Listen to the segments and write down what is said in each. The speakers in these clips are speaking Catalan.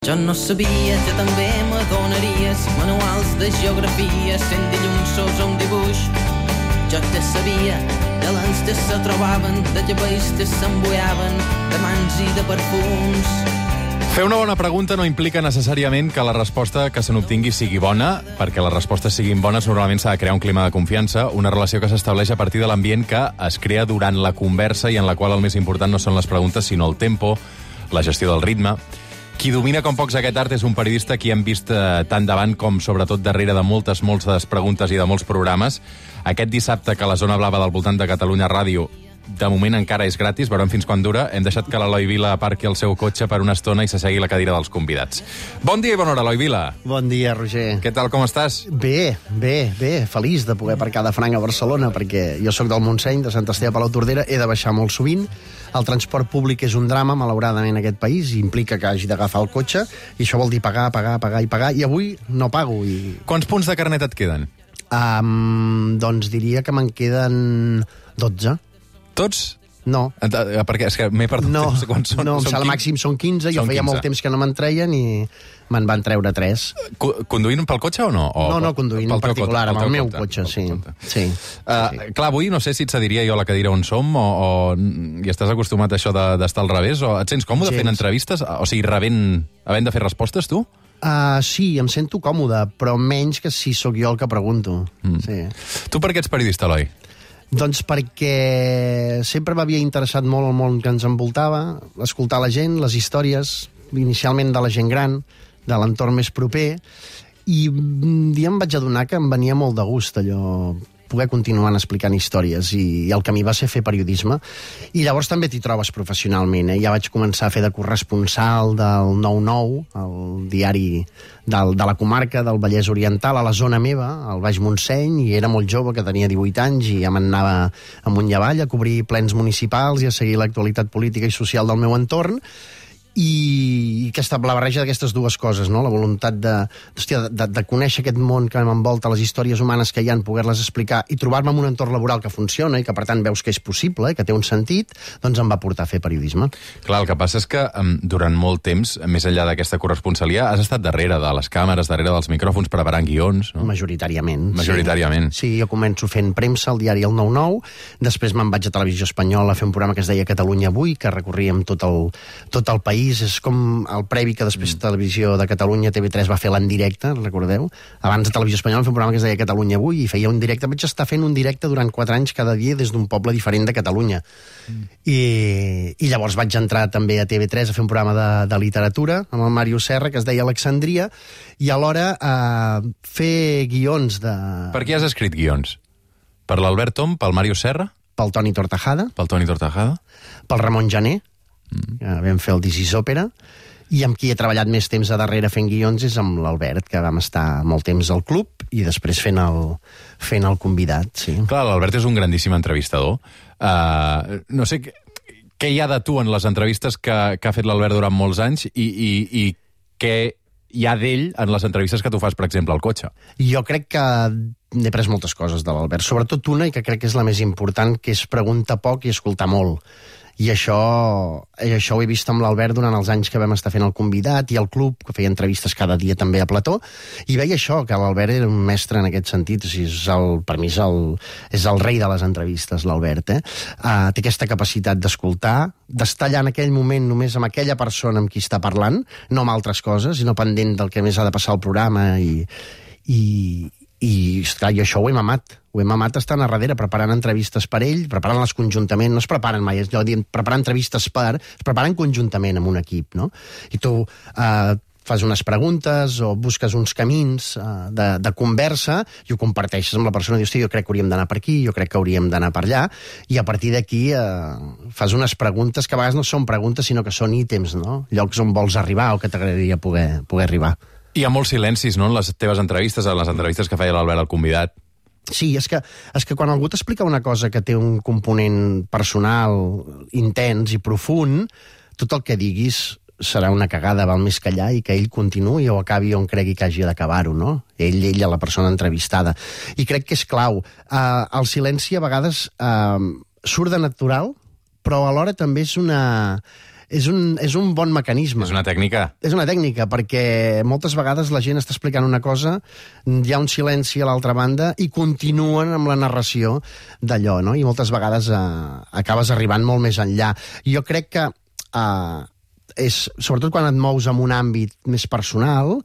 Jo no sabia que també m'adonaries manuals de geografia sent dilluns un dibuix. Jo te sabia, de lents te se trobaven, de llavells te s'embuiaven, de mans i de perfums. Fer una bona pregunta no implica necessàriament que la resposta que se n'obtingui sigui bona. Perquè les respostes siguin bones normalment s'ha de crear un clima de confiança, una relació que s'estableix a partir de l'ambient que es crea durant la conversa i en la qual el més important no són les preguntes sinó el tempo, la gestió del ritme. Qui domina com pocs aquest art és un periodista que hem vist tant davant com sobretot darrere de moltes preguntes i de molts programes. Aquest dissabte que la Zona Blava del voltant de Catalunya Ràdio de moment encara és gratis, veurem fins quan dura. Hem deixat que l'Eloi Vila aparqui el seu cotxe per una estona i s'assegui la cadira dels convidats. Bon dia i bona hora, Eloi Vila. Bon dia, Roger. Què tal, com estàs? Bé. Feliç de poder aparcar de franc a Barcelona, perquè jo sóc del Montseny, de Sant Esteve de Palautordera, he de baixar molt sovint. El transport públic és un drama, malauradament, en aquest país, i implica que hagi d'agafar el cotxe, i això vol dir pagar, i avui no pago. Quants punts de carnet et queden? Doncs diria que me'n queden 12. Tots? No. Perquè és que m'he perdut. No, sé quants són. no, em sembla màxim són 15, jo feia molt temps que no me'n treien i me'n van treure 3. Conduint pel cotxe o no? No, conduint en particular, amb el meu cotxe, sí. Clar, avui no sé si et cediria jo a la cadira on som o i estàs acostumat a això d'estar al revés, o et sents còmode fent entrevistes? O sigui, havent de fer respostes, tu? Sí, em sento còmode, però menys que si sóc jo el que pregunto. Sí. Tu per què ets periodista, Eloi? Doncs perquè sempre m'havia interessat molt el món que ens envoltava, escoltar la gent, les històries, inicialment de la gent gran, de l'entorn més proper, i un dia em vaig adonar que em venia molt de gust allò, poder continuar explicant històries, i el camí va ser fer periodisme. I llavors també t'hi trobes professionalment. Ja vaig començar a fer de corresponsal del 9-9, el diari de la comarca del Vallès Oriental, a la zona meva, al Baix Montseny, i era molt jove, que tenia 18 anys, i ja m'anava amunt i avall a cobrir plens municipals i a seguir l'actualitat política i social del meu entorn. I la barreja d'aquestes dues coses, no? La voluntat de conèixer aquest món que m'envolta, les històries humanes que hi ha, poder-les explicar i trobar-me en un entorn laboral que funciona i que per tant veus que és possible, que té un sentit, doncs em va portar a fer periodisme. Clar, el que passa és que durant molt temps, més enllà d'aquesta corresponsalia, has estat darrere de les càmeres, darrere dels micròfons, preparant guions, no? Majoritàriament. Sí, jo començo fent premsa al diari El 9-9, després me'n vaig a Televisió Espanyola a fer un programa que es deia Catalunya Avui, que recorríem tot el país. És com el previ que després Televisió de Catalunya, TV3 va fer l'en directe, recordeu? Abans de Televisió Espanyola fer un programa que es deia Catalunya Avui i feia un directe. Vaig estar fent un directe durant 4 anys cada dia des d'un poble diferent de Catalunya. I llavors vaig entrar també a TV3 a fer un programa de literatura amb el Màrius Serra que es deia Alexandria, i alhora fer guions de... Per qui has escrit guions? Per l'Albert Tom? Pel Màrius Serra? Pel Toni Tortajada. Pel Ramon Jané. Vam fer el This is Òpera, i amb qui he treballat més temps a darrere fent guions és amb l'Albert, que vam estar molt temps al club i després fent el convidat, sí. Clar, l'Albert és un grandíssim entrevistador. No sé què hi ha de tu en les entrevistes que ha fet l'Albert durant molts anys i què hi ha d'ell en les entrevistes que tu fas, per exemple, al cotxe. Jo crec que n'he pres moltes coses de l'Albert, sobretot una, i que crec que és la més important, que és preguntar poc i escoltar molt. I això ho he vist amb l'Albert durant els anys que vam estar fent el convidat i el club, que feia entrevistes cada dia també a plató, i veia això, que l'Albert era un mestre en aquest sentit. O sigui, per mi és el rei de les entrevistes, l'Albert. Té aquesta capacitat d'escoltar, d'estar allà en aquell moment només amb aquella persona amb qui està parlant, no amb altres coses, sinó pendent del que més ha de passar al programa, i esclar, jo això ho he mamat estant a darrere, preparant entrevistes per ell, preparant-les conjuntament, no es preparen mai, és allò dient, preparar entrevistes es preparen conjuntament amb un equip, no? I tu fas unes preguntes o busques uns camins de conversa i ho comparteixes amb la persona, dius, hosti, jo crec que hauríem d'anar per aquí, jo crec que hauríem d'anar per allà, i a partir d'aquí fas unes preguntes que a vegades no són preguntes, sinó que són ítems, no? Llocs on vols arribar o que t'agradaria poder arribar. Hi ha molts silencis, no?, en les teves entrevistes, en les entrevistes que feia l'Albert al convidat. Sí, és que quan algú t'explica una cosa que té un component personal intens i profund, tot el que diguis serà una cagada, val més callar i que ell continuï o acabi on cregui que hagi d'acabar-ho, no? Ella, la persona entrevistada. I crec que és clau. El silenci a vegades surt de natural, però alhora també és és un bon mecanisme. És una tècnica. És una tècnica, perquè moltes vegades la gent està explicant una cosa, hi ha un silenci a l'altra banda i continuen amb la narració d'allò, no? I moltes vegades acabes arribant molt més enllà. Jo crec que, sobretot quan et mous en un àmbit més personal,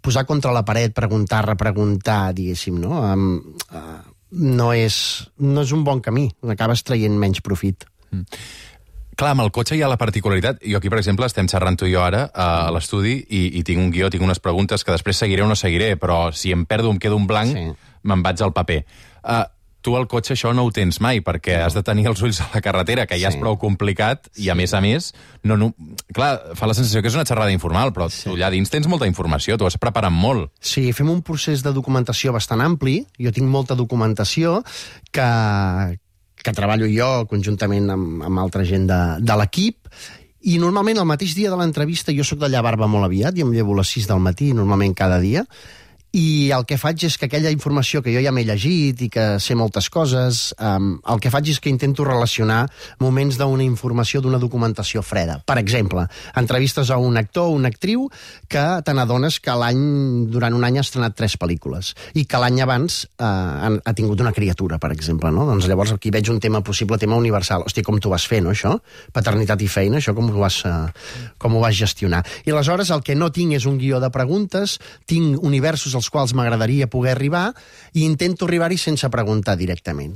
posar contra la paret, preguntar, repreguntar, diguéssim, no? No és un bon camí, acabes traient menys profit. Clar, amb el cotxe hi ha la particularitat. Jo aquí, per exemple, estem xerrant tu i jo ara a l'estudi i tinc un guió, tinc unes preguntes que després seguiré o no seguiré, però si em perdo, em quedo un blanc, me'n vaig al paper. Tu al cotxe això no ho tens mai, perquè has de tenir els ulls a la carretera, que ja és prou complicat, i a més, clar, fa la sensació que és una xerrada informal, però tu allà dins tens molta informació, tu has preparat molt. Sí, fem un procés de documentació bastant ampli, jo tinc molta documentació que treballo jo conjuntament amb altra gent de l'equip, i normalment el mateix dia de l'entrevista jo soc de llevar-me molt aviat, jo em llevo a les 6 del matí, normalment cada dia, i el que faig és que aquella informació que jo ja m'he llegit i que sé moltes coses, el que faig és que intento relacionar moments d'una informació, d'una documentació freda. Per exemple, entrevistes a un actor o una actriu que te n'adones que durant un any ha estrenat 3 pel·lícules i que l'any abans ha tingut una criatura, per exemple, no? Doncs llavors aquí veig un possible tema universal. Hòstia, com t'ho vas fer, no, això? Paternitat i feina, això com ho vas gestionar? I aleshores el que no tinc és un guió de preguntes, tinc universos als quals m'agradaria poder arribar i intento arribar-hi sense preguntar directament.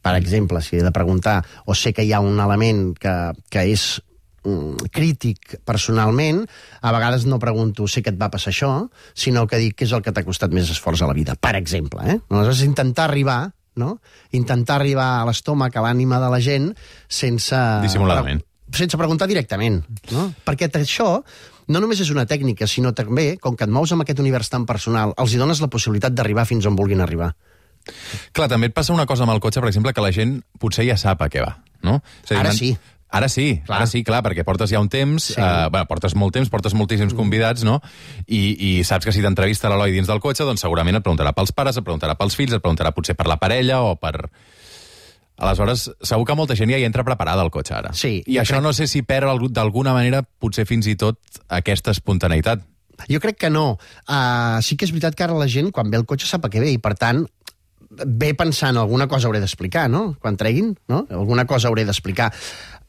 Per exemple, si he de preguntar o sé que hi ha un element que és crític personalment, a vegades no pregunto sé que et va passar això, sinó que dic què és el que t'ha costat més esforç a la vida, per exemple. Aleshores, intentar arribar a l'estómac, a l'ànima de la gent sense... Dissimuladament. Sense preguntar directament, no? Perquè això no només és una tècnica, sinó també, com que et mous amb aquest univers tan personal, els hi dones la possibilitat d'arribar fins on vulguin arribar. Clar, també et passa una cosa amb el cotxe, per exemple, que la gent potser ja sap a què va, no? Ara sí. Ara sí, clar, perquè portes ja un temps, portes molt temps, portes moltíssims convidats, no? I saps que si t'entrevista l'Eloi dins del cotxe, doncs segurament et preguntarà pels pares, et preguntarà pels fills, et preguntarà potser per la parella o per... Aleshores, segur que molta gent ja hi entra preparada al cotxe ara. Sí. I això no sé si perd d'alguna manera potser fins i tot aquesta espontaneïtat. Jo crec que no. Sí que és veritat que ara la gent, quan ve al cotxe, sap a què ve, i per tant, ve pensant alguna cosa hauré d'explicar, no? Quan treguin, no? Alguna cosa hauré d'explicar.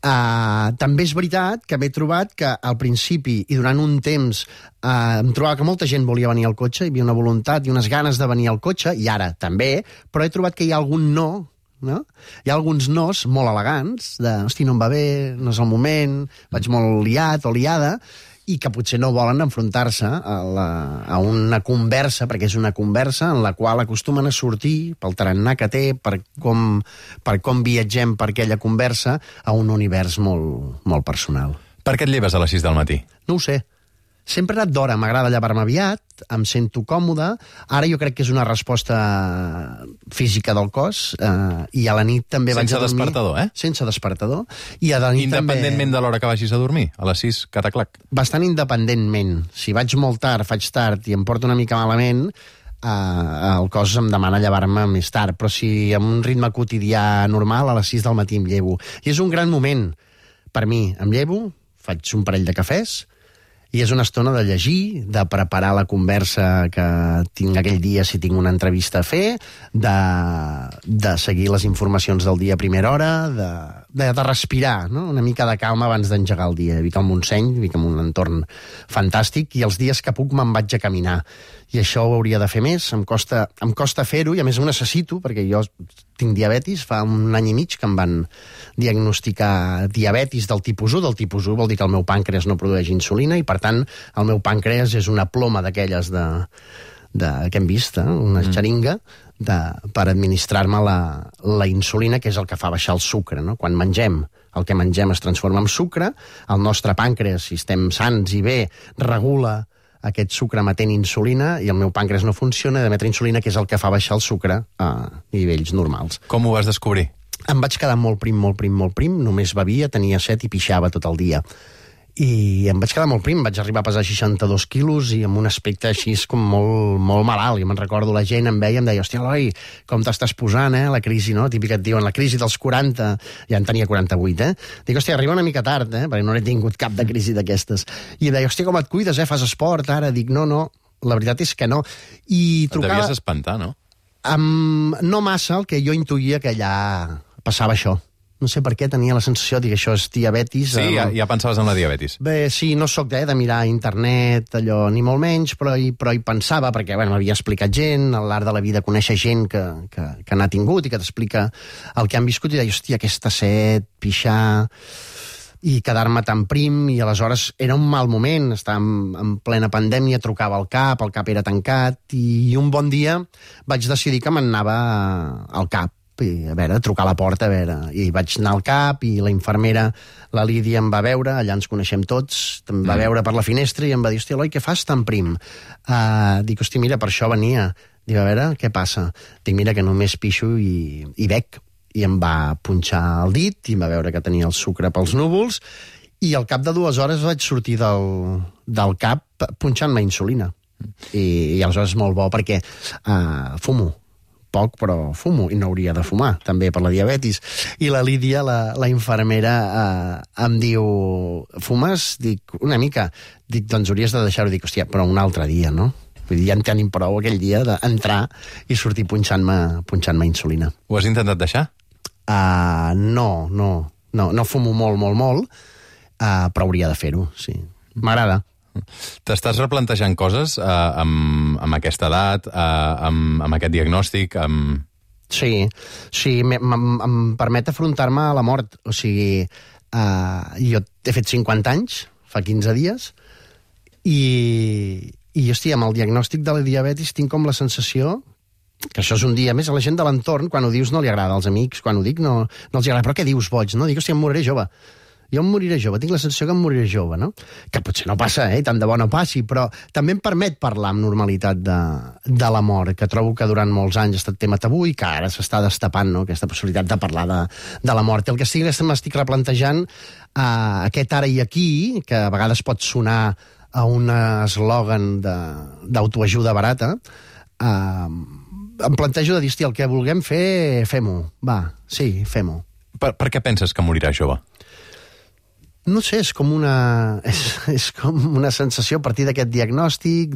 També és veritat que m'he trobat que al principi i durant un temps em trobava que molta gent volia venir al cotxe, hi havia una voluntat i unes ganes de venir al cotxe, i ara també, però he trobat que hi ha algun no? Hi ha alguns nos molt elegants, hosti, no em va bé, no és el moment, vaig molt liat o liada, i que potser no volen enfrontar-se a una conversa, perquè és una conversa en la qual acostumen a sortir pel tarannà que té, per com viatgem per aquella conversa, a un univers molt, molt personal. Per què et lleves a les 6 del matí? No ho sé. Sempre he anat d'hora, m'agrada llevar-me aviat, em sento còmode, ara jo crec que és una resposta física del cos, i a la nit també vaig a dormir... Sense despertador, eh? Sense despertador. I a la nit independentment de l'hora que vagis a dormir, a les 6, cataclac. Bastant independentment. Si vaig molt tard, faig tard i em porto una mica malament, el cos em demana llevar-me més tard, però si amb un ritme quotidià normal, a les 6 del matí em llevo. I és un gran moment per mi. Em llevo, faig un parell de cafès, i és una estona de llegir, de preparar la conversa que tinc aquell dia si tinc una entrevista a fer, de seguir les informacions del dia a primera hora, de respirar, no? Una mica de calma abans d'engegar el dia. Vic al Montseny, vic en un entorn fantàstic, i els dies que puc me'n vaig a caminar. I això ho hauria de fer més, em costa fer-ho, i a més ho necessito, perquè jo tinc diabetis, fa un any i mig que em van diagnosticar diabetis del tipus 1. Del tipus 1 vol dir que el meu pàncreas no produeix insulina, i per tant el meu pàncreas és una ploma d'aquelles que hem vist, una xeringa, per administrar-me la insulina, que és el que fa baixar el sucre, no? Quan mengem, el que mengem es transforma en sucre, el nostre pàncreas, si estem sans i bé, regula aquest sucre emetent insulina, i el meu pàncreas no funciona d'emetre insulina, que és el que fa baixar el sucre a nivells normals. Com ho vas descobrir? Em vaig quedar molt prim, només bevia, tenia set i pixava tot el dia. i em vaig quedar molt prim, vaig arribar a pesar 62 quilos i amb un aspecte així com molt, molt malalt, i me'n recordo la gent em veia i em deia, hòstia, Eloi, com t'estàs posant, la crisi, no? Típica et diuen, la crisi dels 40, ja en tenia 48, Dic, hòstia, arriba una mica tard, perquè no he tingut cap de crisi d'aquestes. I em deia, hòstia, com et cuides, fas esport ara? Dic, no, la veritat és que no. I trucava... Et devies espantar, no? No massa, el que jo intuïa que allà passava això. No sé per què tenia la sensació de que això és diabetis. Sí, ja pensaves en la diabetis. Bé, sí, no sóc de mirar a internet, allò, ni molt menys, però hi pensava, perquè m'havia explicat gent, al llarg de la vida conèixer gent que n'ha tingut i que t'explica el que han viscut, i deia, hòstia, aquesta set, pixar, i quedar-me tan prim, i aleshores era un mal moment, estàvem en plena pandèmia, trucava al cap era tancat, i un bon dia vaig decidir que m'anava al cap, i a veure, trucar a la porta, i vaig anar al cap, i la infermera, la Lídia, em va veure, allà ens coneixem tots, em va veure per la finestra i em va dir, hòstia, Eloi, què fas tan prim? Dic, hòstia, mira, per això venia. Dic, a veure, què passa? Dic, mira, que només pixo i bec. I em va punxar el dit, i em va veure que tenia el sucre pels núvols, i al cap de 2 hores vaig sortir del cap punxant-me insulina. I aleshores és molt bo, perquè fumo poc, però fumo, i no hauria de fumar, també per la diabetis. I la Lídia, la infermera, em diu, fumes? Dic, una mica. Dic, doncs hauries de deixar-ho. Dic, hòstia, però un altre dia, no? Vull dir, ja en tenim prou aquell dia d'entrar i sortir punxant-me insulina. Ho has intentat deixar? No fumo molt, però hauria de fer-ho, sí. M'agrada. T'estàs replantejant coses amb aquesta edat, amb aquest diagnòstic? Sí, em permet afrontar-me a la mort. O sigui, jo he fet 50 anys, fa 15 dies, i hòstia, amb el diagnòstic de la diabetis tinc com la sensació que això és un dia més a la gent de l'entorn, quan ho dius no li agrada, als amics, quan ho dic no els agrada, però què dius, boig, no? Dic, hòstia, em moriré jove. Jo em moriré jove, tinc la sensació que em moriré jove, no? Que potser no passa, tant de bo no passi, però també em permet parlar amb normalitat de la mort, que trobo que durant molts anys ha estat tema tabú i que ara s'està destapant, no?, aquesta possibilitat de parlar de la mort. El que sí que m'estic replantejant, aquest ara i aquí, que a vegades pot sonar a un eslògan d'autoajuda barata, em plantejo de dir, hòstia, el que vulguem fer, fem-ho. Va, sí, fem-ho. Per què penses que moriràs jove? No sé, és com una sensació a partir d'aquest diagnòstic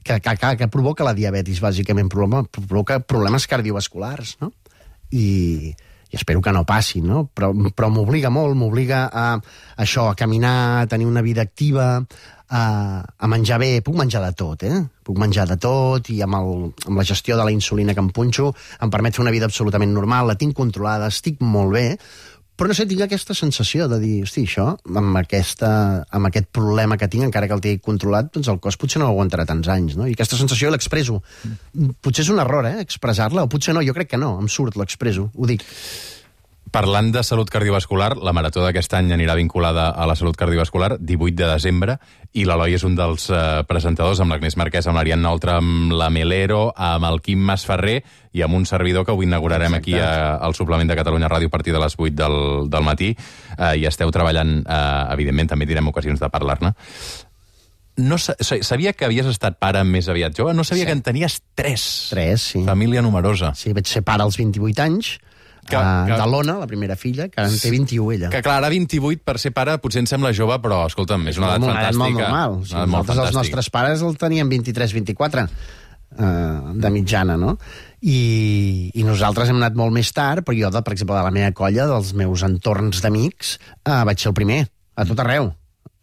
que provoca la diabetis, bàsicament, provoca problemes cardiovasculars, no? I espero que no passi, no? Però m'obliga molt, m'obliga a això, a caminar, a tenir una vida activa, a menjar bé. Puc menjar de tot, Puc menjar de tot, i amb la gestió de la insulina que em punxo em permet fer una vida absolutament normal, la tinc controlada, estic molt bé, però no sé, tinc aquesta sensació de dir, hosti, això, amb aquest problema que tinc, encara que el tinc controlat, doncs el cos potser no aguantarà tants anys, no? I aquesta sensació l'expresso. Potser és un error, expressar-la, o potser no, jo crec que no, em surt, l'expresso, ho dic. Parlant de salut cardiovascular, la marató d'aquest any anirà vinculada a la salut cardiovascular, 18 de desembre, i l'Eloi és un dels presentadors, amb l'Agnès Marquès, amb l'Ariadna Oltra, amb la Melero, amb el Quim Masferrer i amb un servidor que avui inaugurarem aquí al suplement de Catalunya Ràdio a partir de les 8 del matí. I esteu treballant, evidentment, també tindrem ocasions de parlar-ne. No sabia que havies estat pare més aviat jove, no sabia que en tenies 3. 3, sí. Família numerosa. Sí, vaig ser pare als 28 anys, de l'Ona, la primera filla, que en té 21 ella. Que clar, ara 28 per ser pare potser em sembla jove, però escolta'm, és una edat fantàstica. Molt normal. Nosaltres els nostres pares el tenien 23-24 de mitjana, no? I nosaltres hem anat molt més tard, però jo, per exemple, de la meva colla, dels meus entorns d'amics, vaig ser el primer, a tot arreu,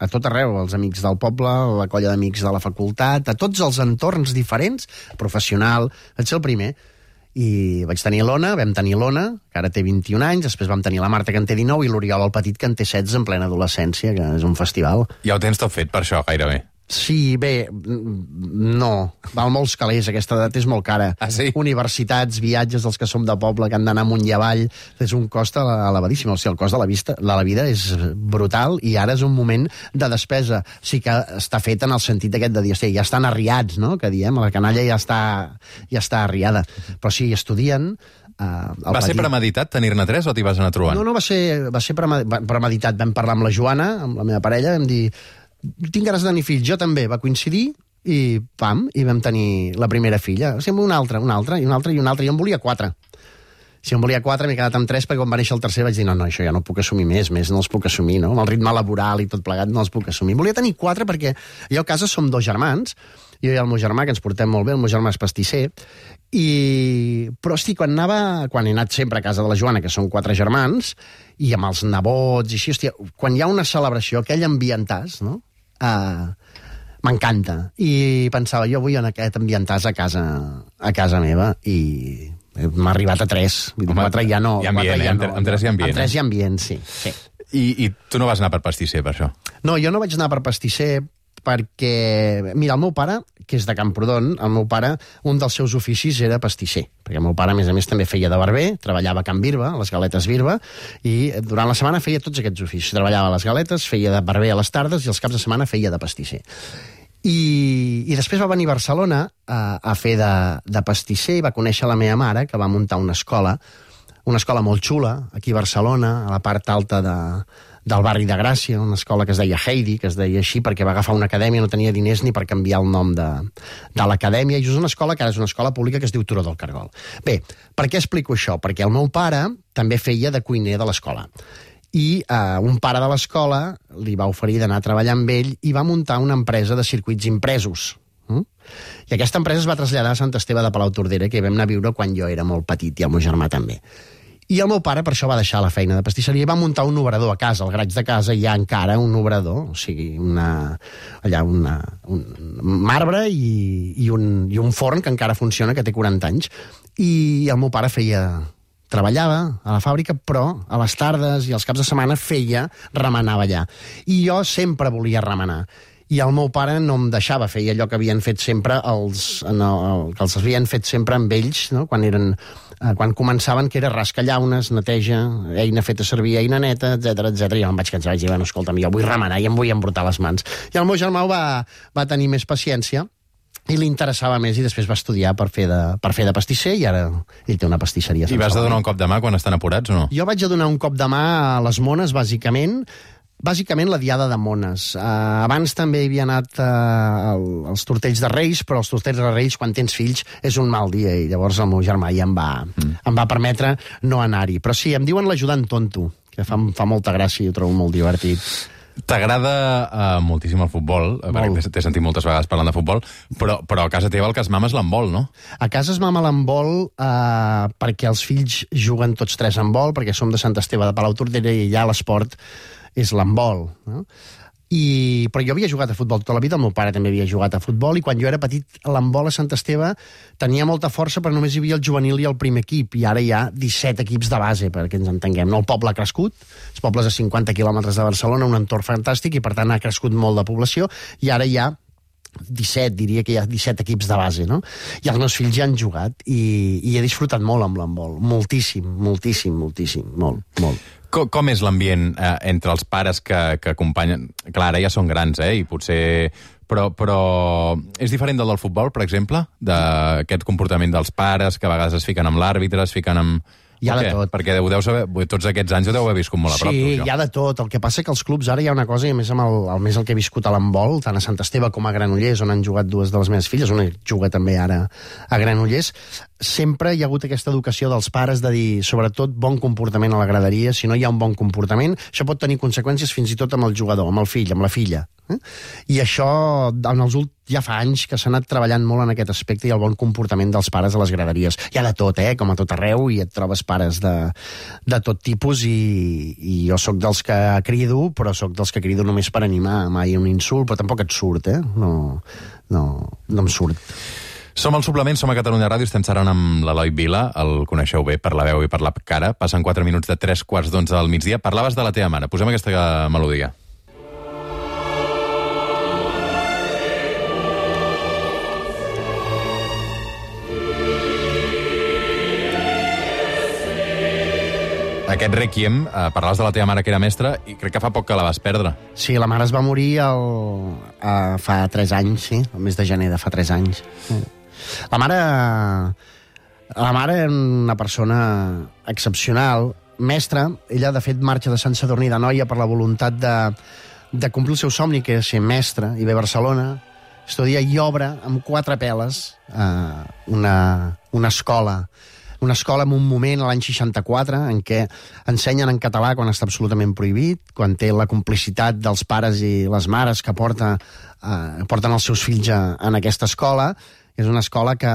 els amics del poble, la colla d'amics de la facultat, a tots els entorns diferents, professional, vaig ser el primer. I vaig tenir l'Ona, vam tenir l'Ona, que ara té 21 anys, després vam tenir la Marta, que en té 19, i l'Oriol, el petit, que en té 16, en plena adolescència, que és un festival. Ja ho tens tot fet per això, gairebé. Sí, bé, no. Val molts calés, aquesta edat és molt cara. Ah, sí? Universitats, viatges dels que som de poble, que han d'anar amunt i avall, és un cost elevadíssim. O sigui, el cost de la vida és brutal, i ara és un moment de despesa. Sí que està fet en el sentit aquest de dir, hosti, ja estan arriats, no?, que diem, la canalla ja està arriada. Però sí, estudien, Va ser premeditat tenir-ne 3 o t'hi vas anar trobant? No, va ser premeditat. Vam parlar amb la Joana, amb la meva parella, vam dir, tinc ganes de tenir fills, jo també, va coincidir, i pam, i vam tenir la primera filla. O sigui, una altra, i jo en volia 4. Si en volia 4, m'he quedat amb 3, perquè quan va néixer el tercer vaig dir, no, això ja no puc assumir més no els puc assumir, no? Amb el ritme laboral i tot plegat no els puc assumir. Volia tenir 4 perquè jo a casa som 2 germans, jo i el meu germà, que ens portem molt bé, el meu germà és pastisser, però, hosti, quan he anat sempre a casa de la Joana, que són 4 germans, i amb els nebots, i així, hòstia, quan hi ha una celebració, aquell ambientàs, no? M'encanta. I pensava, jo vull en aquest ambientàs a casa meva, i m'ha arribat a 3. Home, 4 ja no. Hi ha ambient, amb 3 hi ha ambient. Amb 3 hi ha ambient, sí. I tu no vas anar per pastisser, per això? No, jo no vaig anar per pastisser perquè, mira, el meu pare, que és de Camprodon, el meu pare, un dels seus oficis era pastisser, perquè el meu pare, a més, també feia de barber, treballava a Can Birba, a les Galetes Birba, i durant la setmana feia tots aquests oficis. Treballava a les Galetes, feia de barber a les tardes, i els caps de setmana feia de pastisser. I després va venir a Barcelona a fer de pastisser i va conèixer la meva mare, que va muntar una escola molt xula, aquí a Barcelona, a la part alta del barri de Gràcia, una escola que es deia Heidi, que es deia així perquè va agafar una acadèmia, no tenia diners ni per canviar el nom de l'acadèmia, i és una escola que ara és una escola pública que es diu Turó del Cargol. Bé, per què explico això? Perquè el meu pare també feia de cuiner de l'escola. I un pare de l'escola li va oferir d'anar a treballar amb ell i va muntar una empresa de circuits impresos. I aquesta empresa es va traslladar a Sant Esteve de Palautordera, que hi vam anar a viure quan jo era molt petit, i el meu germà també. I el meu pare per això va deixar la feina de pastisseria i va muntar un obrador a casa. Al garatge de casa hi ha encara un obrador, o sigui, un marbre i un forn que encara funciona, que té 40 anys. I el meu pare treballava a la fàbrica, però a les tardes i als caps de setmana remenava allà. I jo sempre volia remenar. I el meu pare no em deixava fer allò que havien fet sempre que els havien fet sempre amb ells, no? Quan començaven, que era rascar llaunes, neteja, eina feta servir, eina neta, etc. I jo em vaig cansar, vaig dir, bueno, escolta'm, jo vull remenar i em vull embrutar les mans. I el meu germà va tenir més paciència i li interessava més, i després va estudiar per fer de pastisser, i ara ell té una pastisseria. I vas de donar un cop de mà quan estan apurats o no? Jo vaig a donar un cop de mà a les mones, bàsicament la diada de mones. Abans també hi havia anat als tortells de Reis, però els tortells de Reis, quan tens fills, és un mal dia, i llavors el meu germà ja em va permetre no anar-hi. Però sí, em diuen l'ajudant tonto, que fa molta gràcia i ho trobo molt divertit. T'agrada moltíssim el futbol, perquè t'he sentit moltes vegades parlant de futbol, però a casa teva el que es mama és l'handbol, no? A casa es mama l'handbol perquè els fills juguen tots 3 a handbol, perquè som de Sant Esteve de Palautordera i allà l'esport és l'handbol, no? Però jo havia jugat a futbol tota la vida, el meu pare també havia jugat a futbol, i quan jo era petit l'handbol a Sant Esteve tenia molta força, però només hi havia el juvenil i el primer equip, i ara hi ha 17 equips de base, perquè ens entenguem. No, el poble ha crescut, els pobles a 50 quilòmetres de Barcelona, un entorn fantàstic, i per tant ha crescut molt de població, i ara hi ha 17, diria que hi ha 17 equips de base, no? I els meus fills ja han jugat, i he disfrutat molt amb l'handbol, moltíssim, molt. Com és l'ambient entre els pares que acompanyen? Clar, ara ja són grans, i potser... Però és diferent del futbol, per exemple? D'aquest comportament dels pares, que a vegades es fiquen amb l'àrbitre, es fiquen amb... Hi ha de tot. Perquè ho deus saber, tots aquests anys ho deu haver viscut molt a prop. Sí, hi ha de tot. El que passa que als clubs ara hi ha una cosa, i a més amb el que he viscut a l'handbol, tant a Sant Esteve com a Granollers, on han jugat 2 de les meves filles, una juga també ara a Granollers, sempre hi ha hagut aquesta educació dels pares de dir, sobretot, bon comportament a la graderia. Si no hi ha un bon comportament, això pot tenir conseqüències fins i tot amb el jugador, amb el fill, amb la filla. I això, ja fa anys que s'ha anat treballant molt en aquest aspecte, i el bon comportament dels pares a les graderies. Hi ha de tot, com a tot arreu, i et trobes pares de tot tipus, i jo sóc dels que crido, però sóc dels que crido només per animar, mai un insult, però tampoc et surt, no em surt. Som al Suplement, som a Catalunya Ràdio, estem xerrant amb l'Eloi Vila, el coneixeu bé per la veu i per la cara. Passen 4 minuts de 3:45 del migdia. Parlaves de la teva mare, posem aquesta melodia. Aquest Requiem, parlaves de la teva mare que era mestra, i crec que fa poc que la vas perdre. Sí, la mare es va morir fa 3 anys, sí, el mes de gener de fa 3 anys. La mare La mare era una persona excepcional, mestra. Ella, de fet, marxa de Sant Sadurní d'Anoia per la voluntat de complir el seu somni, que és ser mestra, i ve a Barcelona, estudia i obre amb 4 peles una escola en un moment, l'any 64, en què ensenyen en català quan està absolutament prohibit, quan té la complicitat dels pares i les mares que porten els seus fills en aquesta escola. És una escola que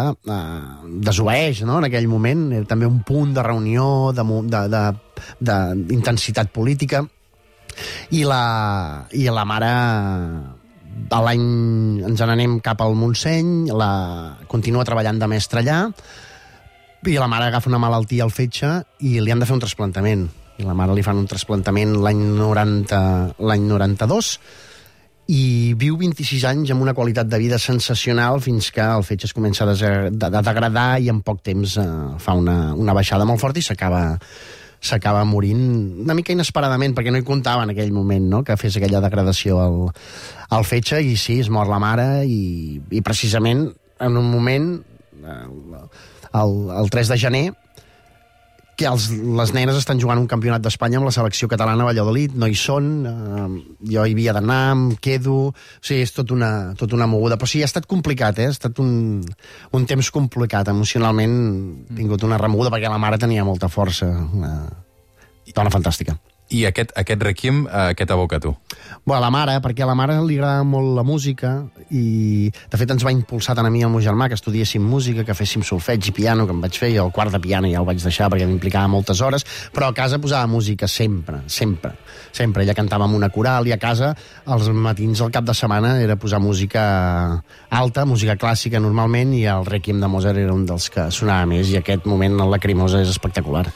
desobeeix, no?, en aquell moment. Era també un punt de reunió, d'intensitat política. I la mare, ens n'anem cap al Montseny, continua treballant de mestra allà, i la mare agafa una malaltia al fetge i li han de fer un trasplantament. I la mare li fan un trasplantament l'any 92, i viu 26 anys amb una qualitat de vida sensacional fins que el fetge es comença a degradar i en poc temps fa una baixada molt forta i s'acaba morint una mica inesperadament, perquè no hi comptava en aquell moment, no?, que fes aquella degradació al fetge. I sí, es mor la mare i precisament en un moment, el 3 de gener, que les nenes estan jugant un campionat d'Espanya amb la selecció catalana a Valladolid, no hi són, jo hi havia d'anar, em quedo... O sigui, és tot una moguda. Però sí, ha estat complicat, ha estat un temps complicat. Emocionalment he tingut una remoguda perquè la mare tenia molta força. Dona fantàstica. I aquest Requiem, què t'evoca a tu? Bueno, la mare, perquè a la mare li agrada molt la música i, de fet, ens va impulsar tant a mi i al meu germà que estudiéssim música, que féssim solfeig i piano, que em vaig fer, i el quart de piano ja el vaig deixar perquè m'implicava moltes hores, però a casa posava música sempre. Ella cantava amb una coral i a casa els matins al cap de setmana era posar música alta, música clàssica normalment, i el Requiem de Mozart era un dels que sonava més, i aquest moment en Lacrimosa és espectacular.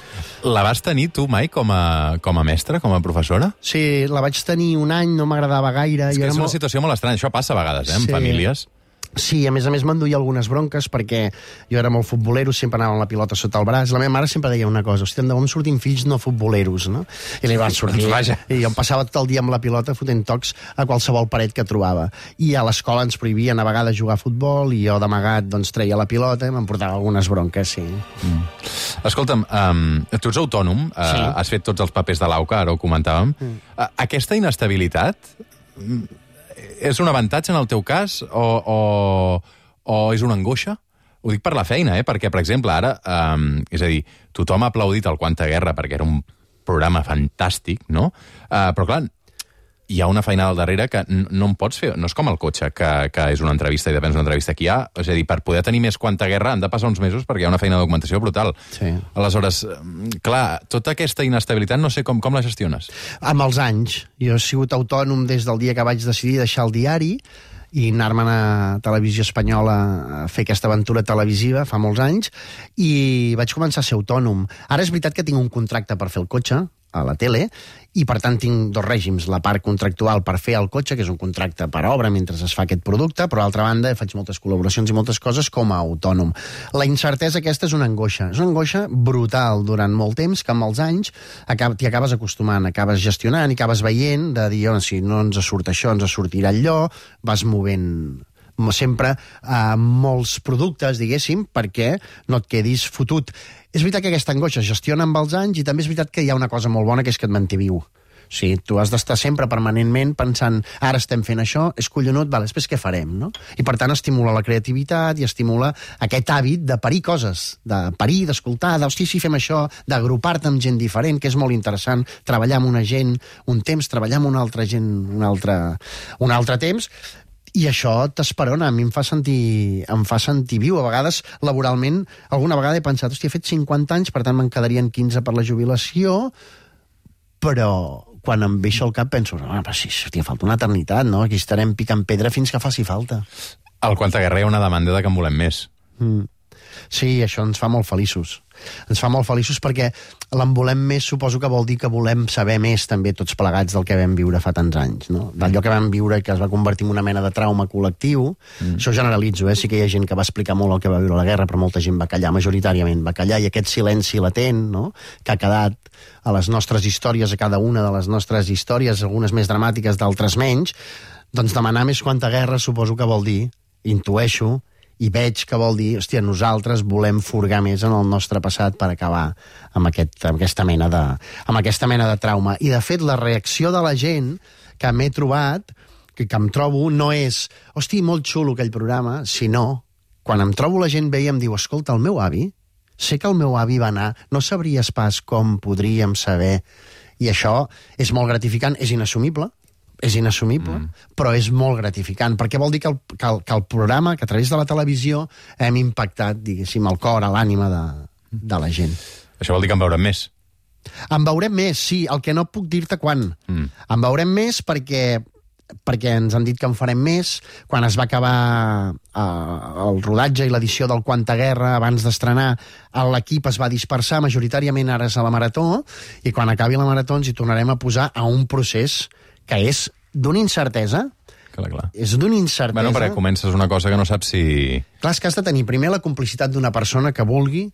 La vas tenir tu mai com a mestra, com a professora? Sí, la vaig tenir un any, no m'agradava gaire. És que és una situació molt estranya, això passa a vegades, en famílies. Sí, a més m'enduia algunes bronques perquè jo era molt futbolero, sempre anava amb la pilota sota el braç. La meva mare sempre deia una cosa: hòstia, de on sortim fills no futboleros, no? I li van sortir. I jo em passava tot el dia amb la pilota fotent tocs a qualsevol paret que trobava. I a l'escola ens prohibien a vegades jugar a futbol i jo d'amagat doncs treia la pilota i m'emportava algunes bronques, sí. Escolta'm, tu ets autònom, sí. Has fet tots els papers de l'AUCA, ara ho comentàvem. Aquesta inestabilitat és un avantatge en el teu cas o és una angoixa? Ho dic per la feina, perquè, per exemple, ara, és a dir, tothom ha aplaudit el Quanta Guerra perquè era un programa fantàstic, no? Però, clar, hi ha una feina al darrere que no em pots fer... No és com el cotxe, que és una entrevista i depèn d'una entrevista que hi ha. És a dir, per poder tenir més Quanta Guerra han de passar uns mesos perquè hi ha una feina de documentació brutal. Sí. Aleshores, clar, tota aquesta inestabilitat no sé com la gestiones. Amb els anys. Jo he sigut autònom des del dia que vaig decidir deixar el diari i anar-me'n a Televisió Espanyola a fer aquesta aventura televisiva fa molts anys, i vaig començar a ser autònom. Ara és veritat que tinc un contracte per fer el cotxe a la tele, i per tant tinc dos règims: la part contractual per fer el cotxe, que és un contracte per obra mentre es fa aquest producte, però a l'altra banda faig moltes col·laboracions i moltes coses com a autònom. La incertesa aquesta és una angoixa brutal durant molt temps, que amb els anys t'hi acabes acostumant, acabes gestionant i acabes veient de dir, si no ens surt això, ens sortirà allò, vas movent sempre molts productes, diguéssim, perquè no et quedis fotut. És veritat que aquesta angoixa es gestiona amb els anys, i també és veritat que hi ha una cosa molt bona, que és que et manté viu. Sí, tu has d'estar sempre permanentment pensant, ara estem fent això, és collonut, després què farem, no? I per tant estimula la creativitat i estimula aquest hàbit de parir coses, de parir, d'escoltar, d'hosti, si fem això, d'agrupar-te amb gent diferent, que és molt interessant, treballar amb una gent un temps, treballar amb una altra gent un altre temps. I això t'esperona, a mi em fa sentir viu. A vegades, laboralment, alguna vegada he pensat, he fet 50 anys, per tant me'n quedarien 15 per la jubilació, però quan em veixo al cap penso, falta una eternitat, no? Aquí estarem picant pedra fins que faci falta. Al Quanta Guerra hi ha una demanda de que en volem més. Sí, això ens fa molt feliços. Ens fa molt feliços perquè l'en volem més suposo que vol dir que volem saber més també tots plegats del que vam viure fa tants anys, no? D'allò que vam viure i que es va convertir en una mena de trauma col·lectiu. Això generalitzo, sí que hi ha gent que va explicar molt el que va viure la guerra, però molta gent va callar, majoritàriament va callar, i aquest silenci latent, no?, que ha quedat a les nostres històries, a cada una de les nostres històries, algunes més dramàtiques, d'altres menys, doncs demanar més Quanta Guerra suposo que vol dir, intueixo, i veig que vol dir, hòstia, nosaltres volem furgar més en el nostre passat per acabar amb aquesta mena de trauma. I, de fet, la reacció de la gent que m'he trobat, que em trobo, no és, hosti, molt xulo aquell programa, sinó, quan em trobo la gent ve i em diu, escolta, el meu avi, sé que el meu avi va anar, no sabries pas com podríem saber, i això és molt gratificant, és inassumible, però és molt gratificant, perquè vol dir que el programa, que a través de la televisió hem impactat, diguéssim, el cor, l'ànima de la gent. Això vol dir que en veurem més? En veurem més, sí, el que no puc dir-te quan. En veurem més perquè ens han dit que en farem més. Quan es va acabar el rodatge i l'edició del Quanta Guerra, abans d'estrenar, l'equip es va dispersar, majoritàriament ara és a la Marató, i quan acabi la Marató ens hi tornarem a posar a un procés que és d'una incertesa. Clar. És d'una incertesa. Bueno, perquè comences una cosa que no saps si... Clar, és que has de tenir primer la complicitat d'una persona que vulgui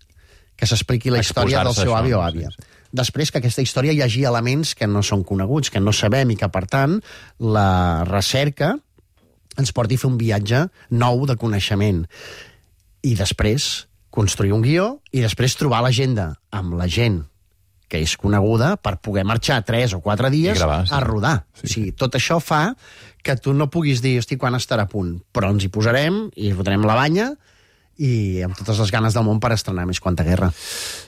que s'expliqui la història del seu avi o àvia. Sí. Després que aquesta història hi hagi elements que no són coneguts, que no sabem, i que, per tant, la recerca ens porti a fer un viatge nou de coneixement. I després construir un guió i després trobar l'agenda amb la gent que és coneguda per poder marxar 3 o 4 dies gravar, sí. A rodar. Sí. O sigui, tot això fa que tu no puguis dir, hosti, quan estarà a punt, però ens hi posarem i fotrem la banya i amb totes les ganes del món per estrenar més Quanta Guerra.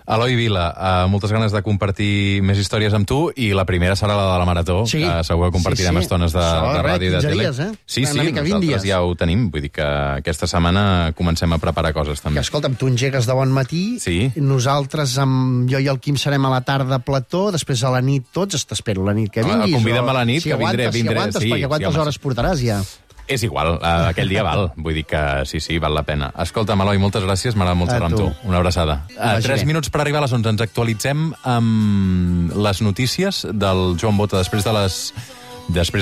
Eloi Vila, moltes ganes de compartir més històries amb tu, i la primera serà la de la Marató, sí. Que segur que compartirem estones de ràdio i de tele. Dies, Sí, nosaltres ja ho tenim, vull dir que aquesta setmana comencem a preparar coses també. Que, escolta'm, tu engegues de bon matí, sí. Nosaltres, jo i el Quim, serem a la tarda a plató, després a la nit tots, t'espero la nit que vinguis. Convida'm a la nit, si que aguantes, vindré. Si aguantes, sí, perquè quantes hores portaràs ja? És igual, aquell dia val. Vull dir que sí, val la pena. Escolta'm, Eloi, moltes gràcies, m'ha agradat molt xerrar amb tu. Una abraçada. 3 minuts per arribar a les 11. Ens actualitzem amb les notícies del Joan Bota després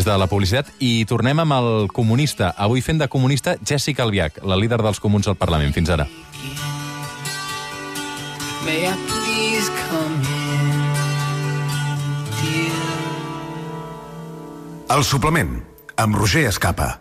de la publicitat, i tornem amb el comunista. Avui fent de comunista Jessica Albiach, la líder dels comuns al Parlament. Fins ara. May I please come in, dear? El suplement, amb Roger Escapa.